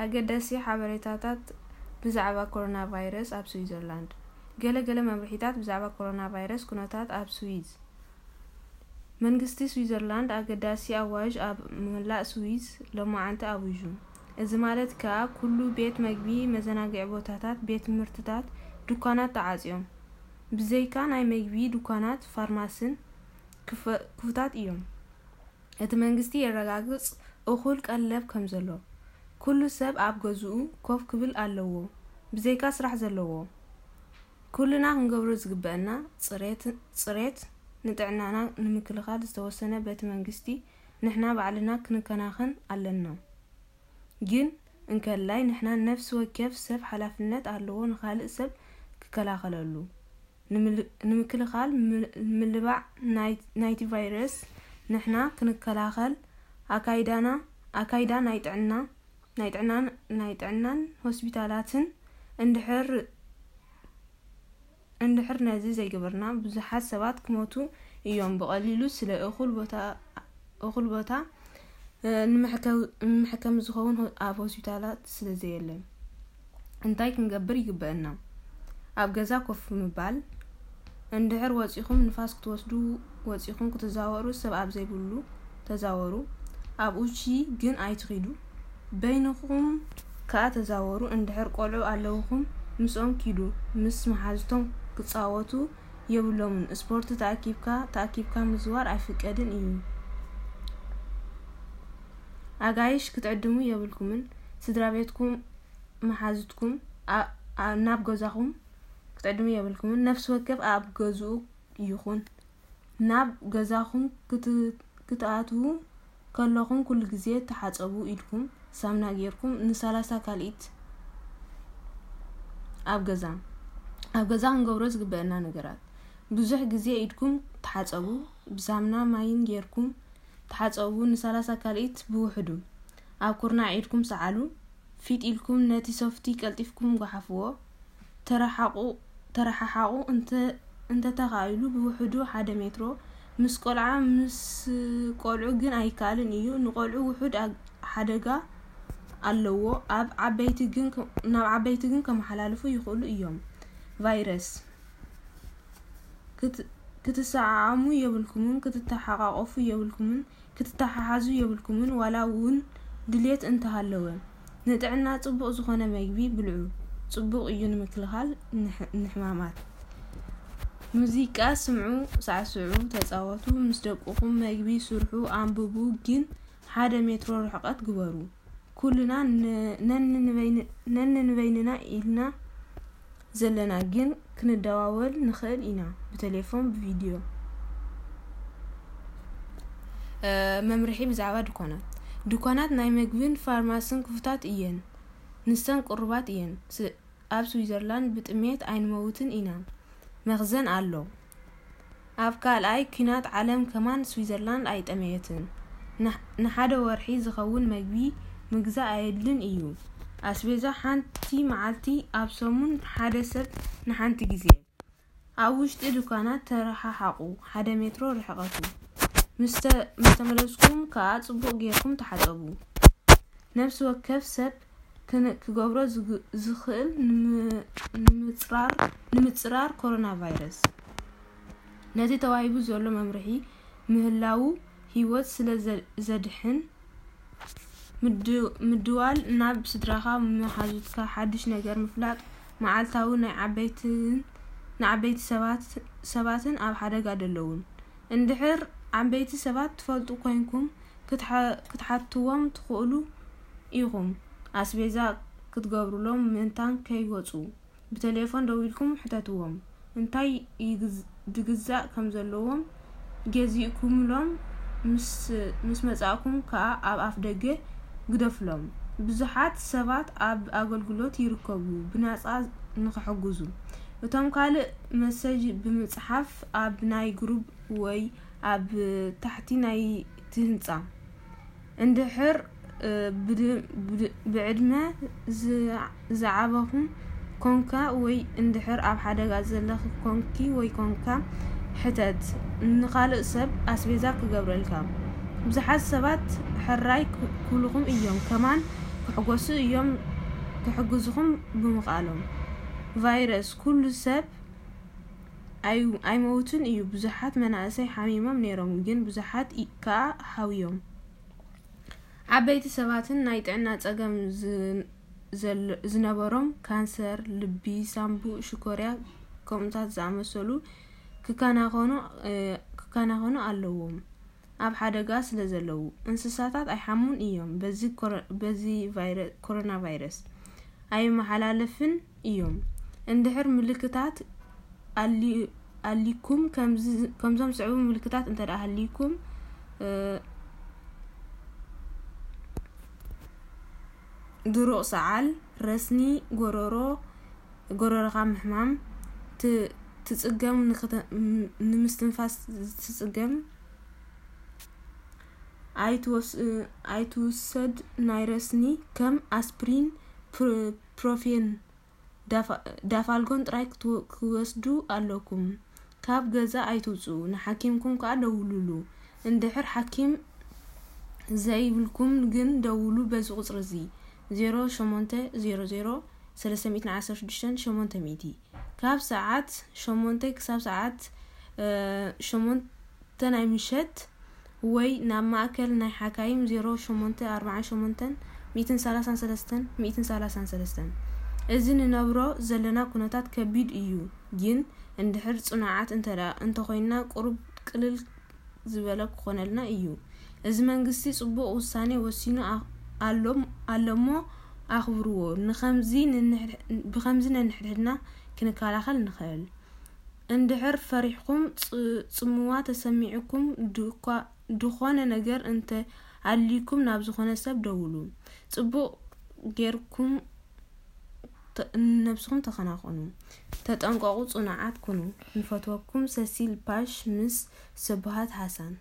ኣገዳሲ ሓበሬታታት ብዛዕባ ኮሮና ቫይረስ ኣብ ስዊዘርላንድ። ገለ ገለ መምርሒታት ብዛዕባ ኮሮና ቫይረስ ኩነታት ኣብ ስዊዝ። መንግስቲ ስዊዘርላንድ ኣገዳሲ ኣዋጅ ኣብ መላእ ስዊዝ ሎማዓንቲ ኣዊጁ። እዚ ማለት ከኣ ኩሉ ቤት መግቢ፣ መዘናግዒ ቦታታት፣ ቤት ትምህርትታት፣ ድኳናት ተዓጽዮም። ብዘይካ ናይ መግቢ ድኳናት፣ ፋርማስን ክፈ- ክፉታት እዮም። እቲ መንግስቲ የረጋግጽ እኹል ቀለብ ከም ዘሎ። ኩሉ ሰብ ኣብ ገዝኡ ኮፍ ክብል ኣለዎ፣ ብዘይካ ስራሕ ዘለዎ። ኩልና ክንገብሮ ዝግበአና ጽሬት፣ ጽሬት ንጥዕናና ንምክልኻል ዝተወሰነ በቲ መንግስቲ ንሕና ባዕልና ክንከናኸን ኣለና። ግን እንከላይ ንሕና ነፍሲ ወከፍ ሰብ ሓላፍነት ኣለዎ ንኻልእ ሰብ ክከላኸለሉ። ንምል- ንምክልኻል ምል- ምልባዕ ናይ- ናይቲ ቫይረስ ንሕና ክንከላኸል ኣካይዳና ኣካይዳ ናይ ጥዕና ናይ ጥዕናን ናይ ጥዕናን ሆስፒታላትን እንድሕር እንድሕር ነዚ ዘይገበርና ብዙሓት ሰባት ክሞቱ እዮም። ብቐሊሉ ስለ እኹል ቦታ እኹል ቦታ እ፣ ንመሕከ- ንመሕከሚ ዝኸውን ሆ- ኣብ ሆስፒታላት ስለ ዘየለ እንታይ ክንገብር ይግበአና? ኣብ ገዛ ኮፍ ምባል። እንድሕር ወጺኹም ንፋስ ክትወስዱ ወጺኹም ክትዛወሩ ሰብ ኣብ ዘይብሉ ተዛወሩ። ኣብ ውጪ ግን ኣይትኺዱ። በይንኹም ከኣ ተዛወሩ። እንድሕር ቆልዑ ኣለውኹም ምስኦም ኪዱ። ምስ መሓዝቶም ክጻወቱ የብሎምን። ስፖርት ተኣኪብካ ተኣኪብካ ምዝዋር ኣይፍቀድን እዩ። ኣጋይሽ ክትዕድሙ የብልኩምን። ስድራ ቤትኩም መሓዝትኩም ኣ- ኣ- ናብ ገዛኹም ክትዕድሙ የብልኩምን። ነፍሲ ወከፍ ኣብ ገዝኡ ይኹን። ናብ ገዛኹም ክት- ክትኣትዉ ከለኹም ኩሉ ግዜ ተሓጸቡ ኢልኩም ሳምና ጌርኩም ንሰላሳ ካልኢት ኣብ ገዛ ኣብ ገዛ ክንገብሮ ዝግበአና ነገራት። ብዙሕ ግዜ ኢድኩም ተሓጸቡ። ብሳምና ማይን ጌርኩም ተሓጸቡ። ንሰላሳ ካልኢት ብውሕዱ ኣብ ኩርናዕ ኢድኩም ሰዓሉ። ፊጥ ኢልኩም ነቲ ሶፍቲ ቀልጢፍኩም ጓሓፍዎ። ተረሓቑ ተረሓሓቑ እንተ እንተተኻኢሉ ብውሕዱ ሓደ ሜትሮ። ምስ ቆልዓ ምስ ቆልዑ ግን ኣይከኣልን እዩ። ንቆልዑ ውሑድ ኣግ- ሓደጋ ኣለዎ። ኣብ ዓበይቲ ግን ከ- ናብ ዓበይቲ ግን ከመሓላልፉ ይኽእሉ እዮም። ቫይረስ ክት- ክትሰዓዓሙ የብልኩምን፣ ክትተሓቃቀፉ የብልኩምን፣ ክትተሓሓዙ የብልኩምን። ዋላ እውን ድሌት እንተሃለወ ንጥዕና ጽቡቕ ዝኾነ መግቢ ብልዑ። ጽቡቕ እዩ ንምክልኻል ንሕ- ንሕማማት። ሙዚቃ ስምዑ፣ ሳዕስዑ፣ ተጻወቱ፣ ምስ ደቅኹም መግቢ ስርሑ፣ ኣንብቡ፣ ግን ሓደ ሜትሮ ርሕቀት ግበሩ። ኩልና ን- ነንንበይን- ነንንበይንና ኢልና ዘለና ግን ክንደዋወል ንኽእል ኢና፣ ብቴሌፎን፣ ብቪድዮ። እ፣ መምርሒ ብዛዕባ ድኳናት። ድኳናት ናይ መግብን ፋርማስን ክፉታት እየን። ንሰን ቅሩባት እየን። ስ- ኣብ ስዊዘርላንድ ብጥሜት ኣይንመውትን ኢና። መኽዘን ኣሎ። ኣብ ካልኣይ ኲናት ዓለም ከማን ስዊዘርላንድ ኣይጠመየትን። ንሕ- ንሓደ ወርሒ ዝኸውን መግቢ ምግዛእ ኣየድልን እዩ። ኣስቤዛ ሓንቲ መዓልቲ ኣብ ሰሙን ሓደ ሰብ ንሓንቲ ግዜ። ኣብ ውሽጢ ድኳናት ተረሓሓቑ፣ ሓደ ሜትሮ ርሕቀቱ። ምስ ተ- ምስ ተመለስኩም ከኣ ጽቡቕ ጌርኩም ተሓጸቡ። ነፍሲ ወከፍ ሰብ ክን- ክገብሮ ዝግ- ዝኽእል ንም- ንምጽራር ንምጽራር ኮሮና ቫይረስ ነቲ ተዋሂቡ ዘሎ መምርሒ ምህላዉ ህይወት ስለ ዘ- ዘድሕን ምድ- ምድዋል ናብ ስድራኻ መሓዙትካ ሓድሽ ነገር ምፍላጥ መዓልታዊ ናይ ዓበይትን ንዓበይቲ ሰባት ሰባትን ኣብ ሓደጋ ደለዉን። እንድሕር ዓበይቲ ሰባት ትፈልጡ ኮይንኩም ክትሓ- ክትሓትዎም ትኽእሉ ኢኹም። ኣስቤዛ ክትገብሩሎም ምእንታን ከይወጹ ብቴሌፎን ደዊልኩም ሕተትዎም። እንታይ ይግዝ- ድግዛእ ከም ዘለዎም ገዚእኩምሎም ምስ- ምስ መጻእኩም ከኣ ኣብ ኣፍ ደገ ግደፍሎም። ብዙሓት ሰባት ኣብ ኣገልግሎት ይርከቡ ብናጻ ንኽሕግዙ። እቶም ካልእ መሰጅ ብምጽሓፍ ኣብ ናይ ግሩፕ ወይ ኣብ ታሕቲ ናይቲ ህንጻ። እንድሕር እ፣ ብድ- ብድ- ብዕድመ ዝ- ዝዓበኹም ኮንካ ወይ እንድሕር ኣብ ሓደጋ ዘለኺ ኮንኪ ወይ ኮንካ ሕተት ንኻልእ ሰብ ኣስቤዛ ክገብረልካ። ብዙሓት ሰባት ሕራይ ክ- ክብሉኹም እዮም። ከማን ክሕጎሱ እዮም፣ ክሕግዝኹም ብምኽኣሎም። ቫይረስ ኩሉ ሰብ ኣይ- ኣይመውትን እዩ። ብዙሓት መናእሰይ ሓሚሞም ነይሮም፣ ግን ብዙሓት ኢ- ከኣ ሓውዮም። ዓበይቲ ሰባትን ናይ ጥዕና ጸገም ዝ- ዘል- ዝነበሮም፣ ካንሰር፣ ልቢ፣ ሳምቡእ፣ ሽኮርያ፣ ከምኡታት ዝኣመሰሉ ክከናኸኑ እ፣ ክከናኸኑ ኣለዎም። ኣብ ሓደጋ ስለ ዘለዉ። እንስሳታት ኣይሓሙን እዮም በዚ ኮረ- በዚ ቫይረ- ኮሮና ቫይረስ ኣይመሓላለፍን እዮም። እንድሕር ምልክታት ኣሊ- ኣሊኩም ከምዚ- ከምዞም ዝስዕቡ ምልክታት እንተ ደኣ ሃልይኩም እ፣ ድሩቕ ሰዓል፣ ረስኒ፣ ጎረሮ፣ ጎረሮኻ ምሕማም፣ ት- ትጽገም፣ ንኽተ- ም- ንምስትንፋስ ትጽገም፣ ኣይትወስ- ኣይትውሰድ ናይ ረስኒ ከም ኣስፕሪን፣ ፕ- ፕሮፌን፣ ዳፋ- ዳፋልጎን ጥራይ ክትወ- ክወስዱ ኣለኩም። ካብ ገዛ ኣይትውጽኡ፣ ንሓኪምኩም ከኣ ደውሉሉ። እንድሕር ሓኪም ዘይብልኩም ግን ደውሉ በዚ ቁጽሪ እዚ፣ ዜሮ ሸሞንተ ዜሮ ዜሮ ሰለስተ ሚእትን ዓሰርተ ሽዱሽተን ሸሞንተ ሚእቲ። ካብ ሰዓት ሸሞንተ ክሳብ ሰዓት እ፣ ሸሞንተ ናይ ምሸት ወይ ናብ ማእከል ናይ ሓካይም ዜሮ ሸሞንተ ኣርባዓን ሸሞንተን ሚእትን ሰላሳን ሰለስተን ሚእትን ሰላሳን ሰለስተን። እዚ ንነብሮ ዘለና ኩነታት ከቢድ እዩ፣ ግን እንድሕር ጽኑዓት እንተ ደኣ እንተኾይንና ቁሩብ ቅልል ዝበለ ክኾነልና እዩ። እዚ መንግስቲ ጽቡቕ ውሳኔ ወሲኑ ኣ- ኣሎ ኣሎሞ ኣኽብርዎ። ንኸምዚ ንንሕድ- ብኸምዚ ነንሕድሕድና ክንከላኸል ንኽእል። እንድሕር ፈሪሕኩም ጽ- ጽምዋ ተሰሚዕኩም ድኳ- ድኾነ ነገር እንተ ኣድልይኩም ናብ ዝኾነ ሰብ ደውሉ። ጽቡቕ ጌርኩም ተ- ነብስኹም ተኸናኸኑ። ተጠንቀቑ፣ ጽኑዓት ኩኑ። ንፈትወኩም ሰሲል ፓሽ ምስ ስብሃት ሃሳን።